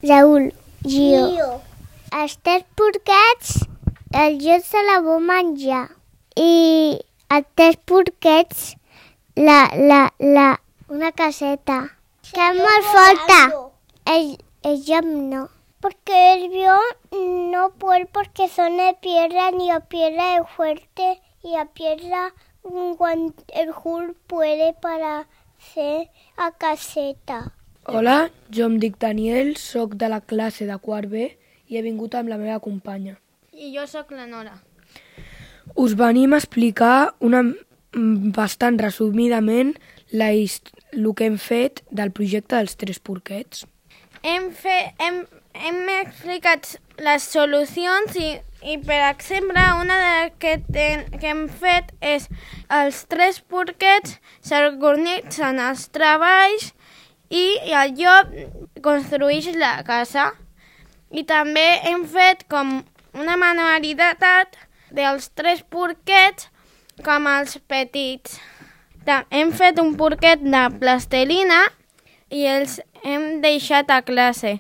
Raül, Gio. Els 3 porquets, el Gio se la vol menjar. I els 3 porquets, una caseta. Que es molt forta. El Gio no. Porque el Gio no puede porque son de piedra ni la piedra es fuerte y la piedra el Hulk puede para hacer la caseta. Hola, jo em dic Daniel, soc de la classe de quart B i he vingut amb la meva companya. I jo sóc la Nora. Us venim a explicar bastant resumidament el que hem fet del projecte dels 3 porquets. Hem explicat les solucions i per exemple, una de que hem fet és els 3 porquets s'organitzen els treballs i el llop construeix la casa. I també hem fet com una manualitat dels 3 porquets com els petits. Hem fet un porquet de plastelina i els hem deixat a classe.